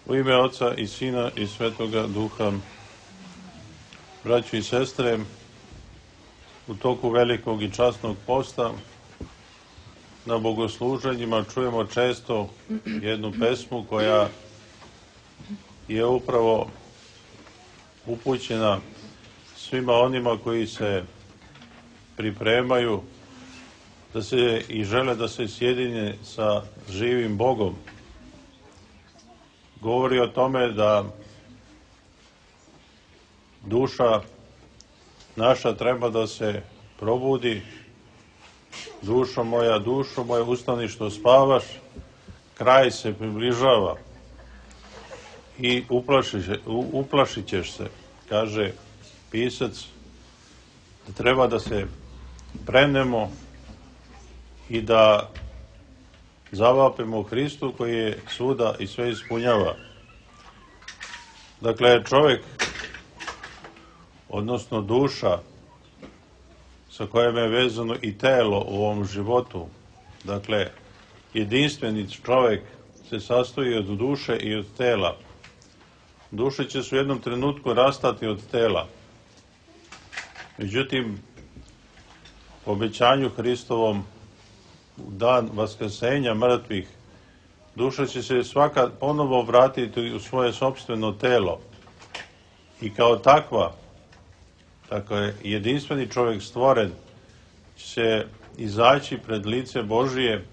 U ime Oca i Sina i Svetoga Duha, braćo i sestre, u toku velikog i časnog posta na bogosluženjima čujemo često jednu pesmu koja je upravo upućena svima onima koji se pripremaju da se i žele da se sjedine sa živim Bogom. Govori o tome da duša naša treba da se probudi. Dušo moja, ustani što spavaš, kraj se približava i uplašit ćeš se, kaže pisac, da treba da se prenemo i da zavapimo Hristu koji je svuda i sve ispunjava. Dakle, čovjek, odnosno duša, sa kojom je vezano i telo u ovom životu, dakle, jedinstveni čovjek se sastoji od duše i od tela. Duše će se u jednom trenutku rastati od tela. Međutim, po obećanju Hristovom, u dan vaskrsenja mrtvih, duša će se svaka ponovo vratiti u svoje sopstveno telo i kao takva, tako je jedinstveni čovjek stvoren, će se izaći pred lice Božije,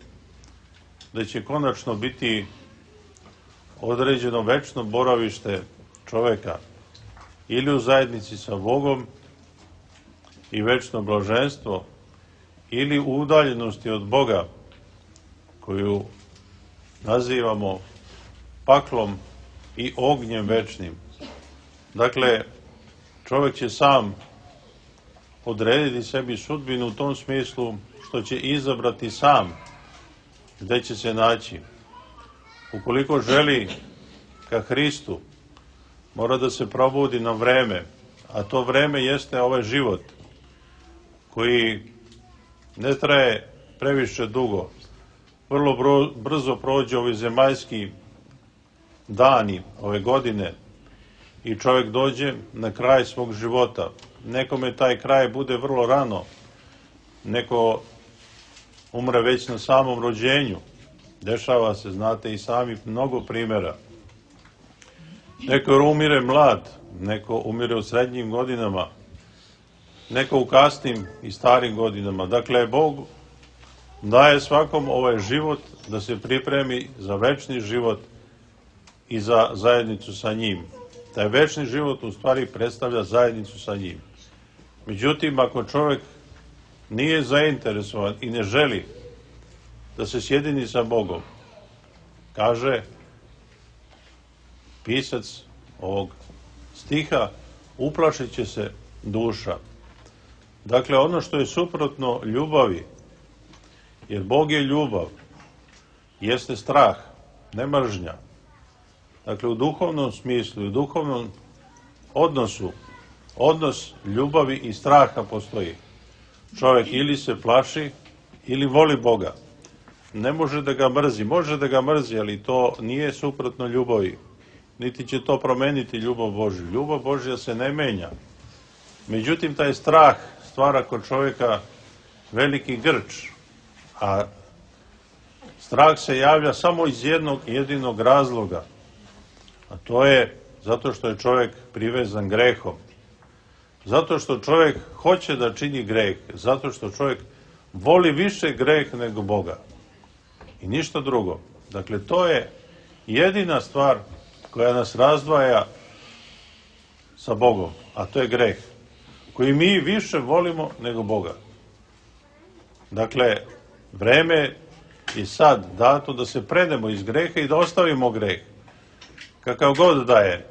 da će konačno biti određeno večno boravište čovjeka ili u zajednici sa Bogom i večno blaženstvo, ili u udaljenosti od Boga, koju nazivamo paklom i ognjem večnim. Dakle, čovjek će sam odrediti sebi sudbinu u tom smislu što će izabrati sam gde će se naći. Ukoliko želi ka Hristu, mora da se probudi na vreme, a to vreme jeste ovaj život koji ne traje previše dugo. Vrlo brzo prođe ovi zemaljski dani ove godine i čovjek dođe na kraj svog života. Nekome taj kraj bude vrlo rano, neko umre već na samom rođenju. Dešava se, znate i sami, mnogo primjera. Neko umire mlad, neko umire u srednjim godinama, neko u kasnim i starim godinama. Dakle, Bog daje svakom ovaj život da se pripremi za večni život i za zajednicu sa njim. Taj večni život u stvari predstavlja zajednicu sa njim. Međutim, ako čovjek nije zainteresovan i ne želi da se sjedini sa Bogom, kaže pisac ovog stiha, uplašit će se duša. Dakle, ono što je suprotno ljubavi, jer Bog je ljubav, jeste strah, ne mržnja. Dakle, u duhovnom smislu, u duhovnom odnosu, odnos ljubavi i straha postoji. Čovjek ili se plaši, ili voli Boga. Ne može da ga mrzi, može da ga mrzi, ali to nije suprotno ljubavi. Niti će to promeniti ljubav Božju. Ljubav Božja se ne menja. Međutim, taj strah stvara kod čovjeka veliki grč, a strah se javlja samo iz jednog jedinog razloga, a to je zato što je čovjek privezan grehom. Zato što čovjek hoće da čini greh, zato što čovjek voli više greh nego Boga. I ništa drugo. Dakle, to je jedina stvar koja nas razdvaja sa Bogom, a to je greh, koji mi više volimo nego Boga. Dakle, vreme je sad dato da se predemo iz greha i da ostavimo greh. Kakav god da je.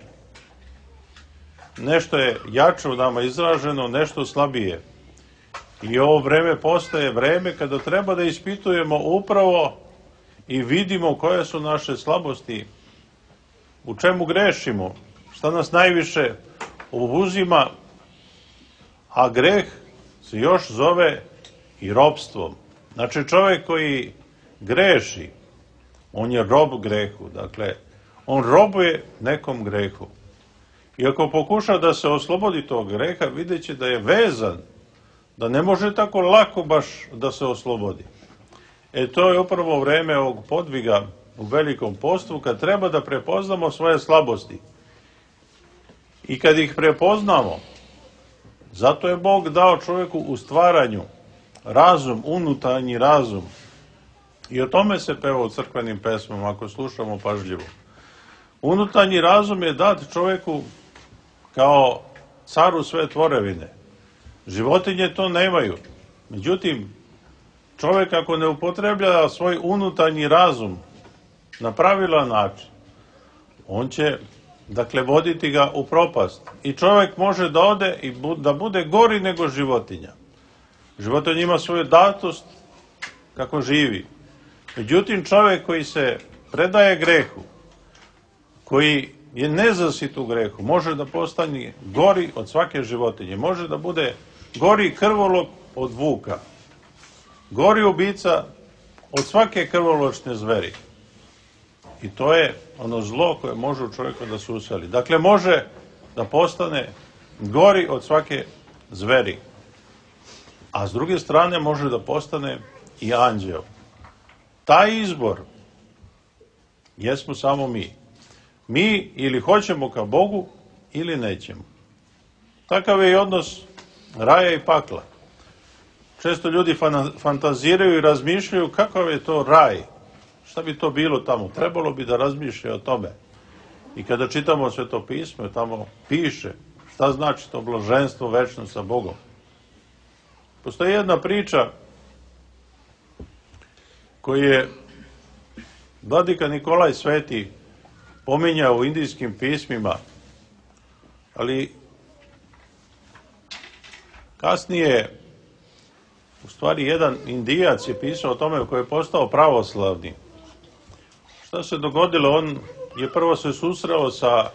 Nešto je jače u nama izraženo, nešto slabije. I ovo vreme postaje vreme kada treba da ispitujemo upravo i vidimo koje su naše slabosti, u čemu grešimo, šta nas najviše obuzima, a greh se još zove i ropstvom. Znači, čovjek koji greši, on je rob grehu. Dakle, On robuje nekom grehu. I ako pokuša da se oslobodi tog greha, vidjet će da je vezan, da ne može tako lako baš da se oslobodi. To je upravo vreme ovog podviga u velikom postu, kad treba da prepoznamo svoje slabosti. I kad ih prepoznamo, zato je Bog dao čovjeku u stvaranju razum, unutarnji razum. I o tome se peva u crkvenim pesmama, ako slušamo pažljivo. Unutarnji razum je dat čovjeku kao caru sve tvorevine. Životinje to nemaju. Međutim, čovjek ako ne upotreblja svoj unutarnji razum na pravilan način, on će, dakle, voditi ga u propast. I čovjek može da ode i da bude gori nego životinja. Životinja ima svoju datost kako živi. Međutim, čovjek koji se predaje grehu, koji je nezasit u grehu, može da postane gori od svake životinje. Može da bude gori krvolok od vuka. Gori ubica od svake krvoločne zveri. I to je ono zlo koje može u čovjeku da se useli. Dakle, može da postane gori od svake zveri. A s druge strane može da postane i anđeo. Taj izbor jesmo samo mi. Mi ili hoćemo ka Bogu ili nećemo. Takav je i odnos raja i pakla. Često ljudi fantaziraju i razmišljaju kakav je to raj. Šta bi to bilo tamo? Trebalo bi da razmišljaju o tome. I kada čitamo Sveto pismo, tamo piše šta znači to blaženstvo večno sa Bogom. Postoji jedna priča koju je vladika Nikolaj Sveti pominjao u indijskim pismima, ali kasnije u stvari jedan Indijac je pisao o tome koji je postao pravoslavni. Šta se dogodilo? On je prvo se susreo sa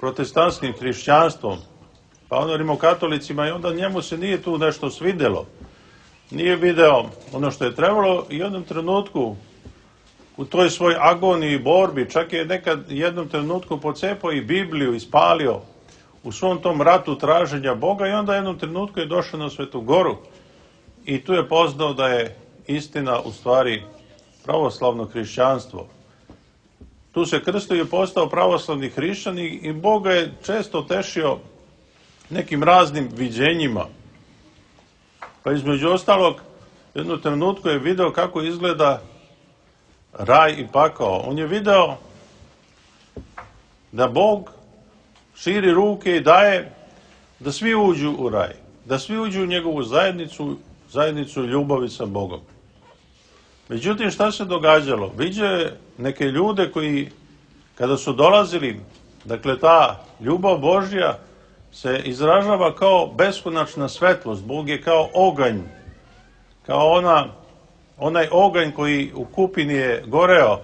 protestantskim hrišćanstvom, pa ono rimokatolicima, i onda njemu se nije tu nešto svidelo. Nije video ono što je trebalo i u jednom trenutku u toj svoj agoniji i borbi, čak je nekad jednom trenutku pocepao i Bibliju, ispalio u svom tom ratu traženja Boga i onda jednom trenutku je došao na Svetu Goru i tu je poznao da je istina u stvari pravoslavno hrišćanstvo. Tu se krstio i postao pravoslavni hrišćan i Bog ga je često tešio nekim raznim viđenjima. Pa između ostalog, u jednom trenutku je video kako izgleda raj i pakao. On je video da Bog širi ruke i daje da svi uđu u raj, da svi uđu u njegovu zajednicu ljubavi sa Bogom. Međutim, šta se događalo? Viđao je neke ljude koji, kada su dolazili, dakle, ta ljubav Božja se izražava kao beskonačna svetlost. Bog je kao oganj, kao onaj oganj koji u kupini je goreo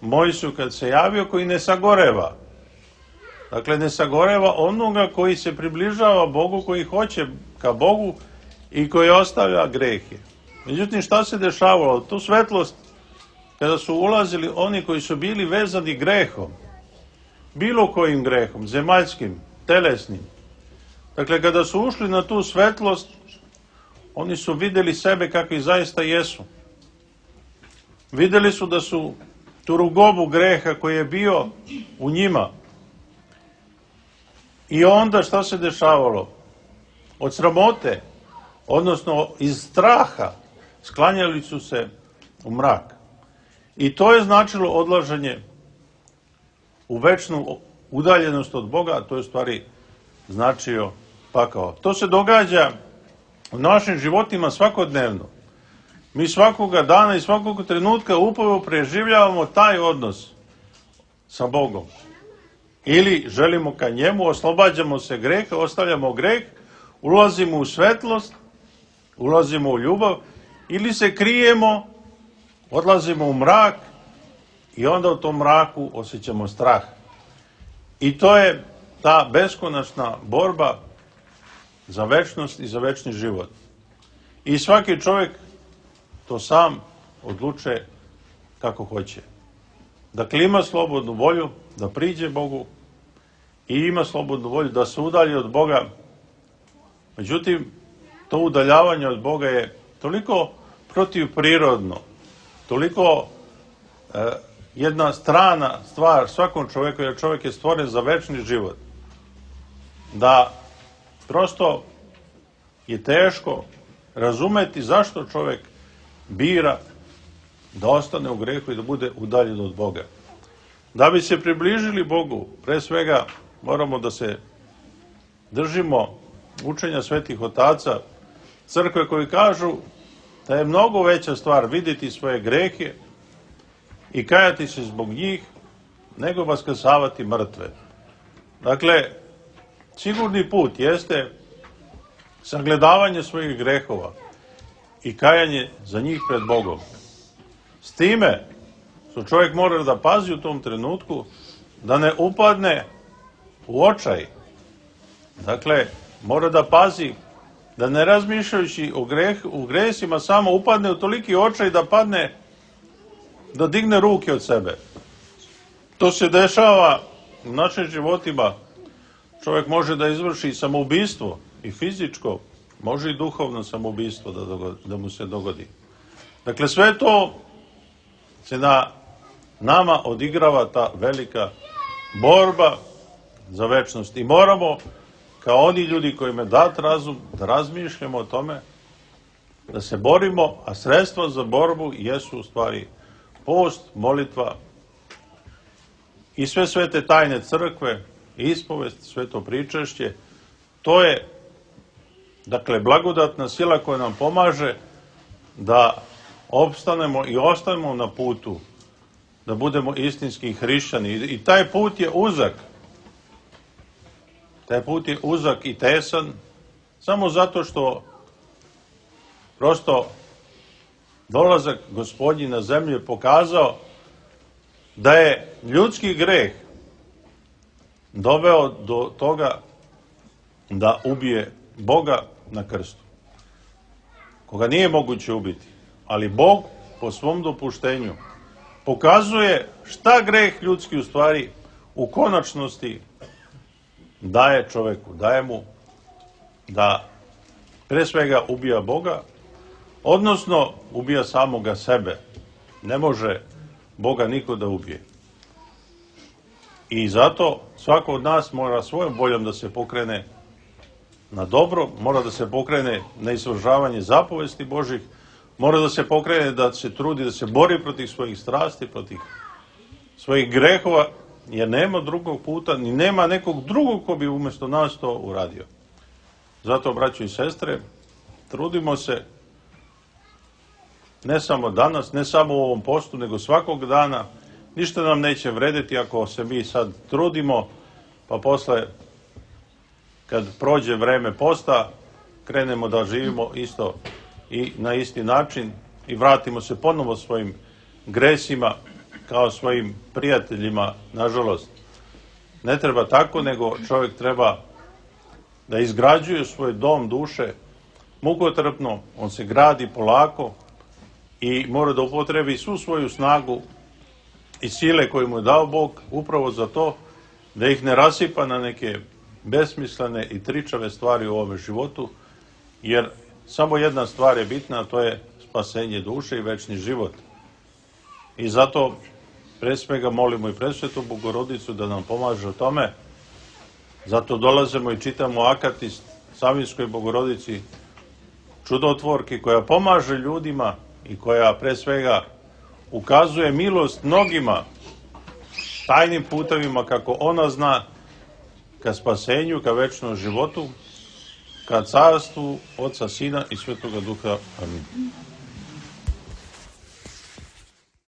Mojsiju kad se javio, koji ne sagoreva. Dakle, ne sagoreva onoga koji se približava Bogu, koji hoće ka Bogu i koji ostavlja grehe. Međutim, šta se dešavalo? Tu svetlost, kada su ulazili oni koji su bili vezani grehom, bilo kojim grehom, zemaljskim, telesnim, dakle, kada su ušli na tu svetlost, oni su vidjeli sebe kakvi zaista jesu. Vidjeli su da su tu rugobu greha koji je bio u njima. I onda šta se dešavalo? Od sramote, odnosno iz straha, sklanjali su se u mrak. I to je značilo odlaženje u večnu udaljenost od Boga, a to je u stvari značio pakao. To se događa u našim životima svakodnevno. Mi svakoga dana i svakog trenutka upravo preživljavamo taj odnos sa Bogom. Ili želimo ka njemu, oslobađamo se greha, ostavljamo greh, ulazimo u svetlost, ulazimo u ljubav, ili se krijemo, odlazimo u mrak i onda u tom mraku osjećamo strah. I to je ta beskonačna borba za večnost i za večni život. I svaki čovjek to sam odlučuje kako hoće. Dakle, ima slobodnu volju da priđe Bogu i ima slobodnu volju da se udalji od Boga. Međutim, to udaljavanje od Boga je toliko protivprirodno, toliko jedna strana stvar svakom čovjeku, jer čovjek je stvoren za večni život, da prosto je teško razumeti zašto čovjek bira da ostane u grehu i da bude udaljen od Boga. Da bi se približili Bogu, pre svega moramo da se držimo učenja svetih otaca crkve koji kažu da je mnogo veća stvar vidjeti svoje grehe i kajati se zbog njih nego vaskrsavati mrtve. Dakle, sigurni put jeste sagledavanje svojih grehova i kajanje za njih pred Bogom. S time što čovjek mora da pazi u tom trenutku da ne upadne u očaj. Dakle, mora da pazi da ne razmišljajući o gresima samo upadne u toliki očaj da padne, da digne ruke od sebe. To se dešava u našim životima. Čovjek može da izvrši samoubistvo i fizičko, može i duhovno samoubistvo da mu se dogodi. Dakle, sve to se na nama odigrava ta velika borba za večnost. I moramo, kao oni ljudi kojima je dat razum, da razmišljamo o tome, da se borimo, a sredstva za borbu jesu u stvari post, molitva i sve svete tajne crkve, ispovest, sveto pričešće. To je, dakle, blagodatna sila koja nam pomaže da opstanemo i ostanemo na putu, da budemo istinski hrišćani. I taj put je uzak. Taj put je uzak i tesan, samo zato što prosto dolazak Gospodnji na zemlju je pokazao da je ljudski greh doveo do toga da ubije Boga na krstu, koga nije moguće ubiti. Ali Bog po svom dopuštenju pokazuje šta greh ljudski u stvari u konačnosti daje čoveku, daje mu da pre svega ubija Boga, odnosno ubija samoga sebe. Ne može Boga niko da ubije. I zato svako od nas mora svojom voljom da se pokrene na dobro, mora da se pokrene na izvršavanje zapovesti Božih, mora da se pokrene da se trudi, da se bori protiv svojih strasti, protiv svojih grehova, jer nema drugog puta, ni nema nekog drugog ko bi umjesto nas to uradio. Zato, braćo i sestre, trudimo se ne samo danas, ne samo u ovom postu, nego svakog dana. Ništa nam neće vrediti ako se mi sad trudimo, pa posle, kad prođe vreme posta, krenemo da živimo isto i na isti način i vratimo se ponovo svojim gresima kao svojim prijateljima, nažalost. Ne treba tako, nego čovjek treba da izgrađuje svoj dom duše mukotrpno, on se gradi polako i mora da upotrebi svu svoju snagu i sile koje mu je dao Bog upravo za to da ih ne rasipa na neke besmislene i tričave stvari u ovome životu, jer samo jedna stvar je bitna, a to je spasenje duše i večni život. I zato pre svega molimo i presvetu Bogorodicu da nam pomaže u tome. Zato dolazimo i čitamo akatist Savinskoj Bogorodici, čudotvorki koja pomaže ljudima i koja pre svega ukazuje milost mnogima tajnim putevima kako ona zna ka spasenju, ka večnom životu, ka carstvu Oca, Sina i Svetoga Duha. Amin.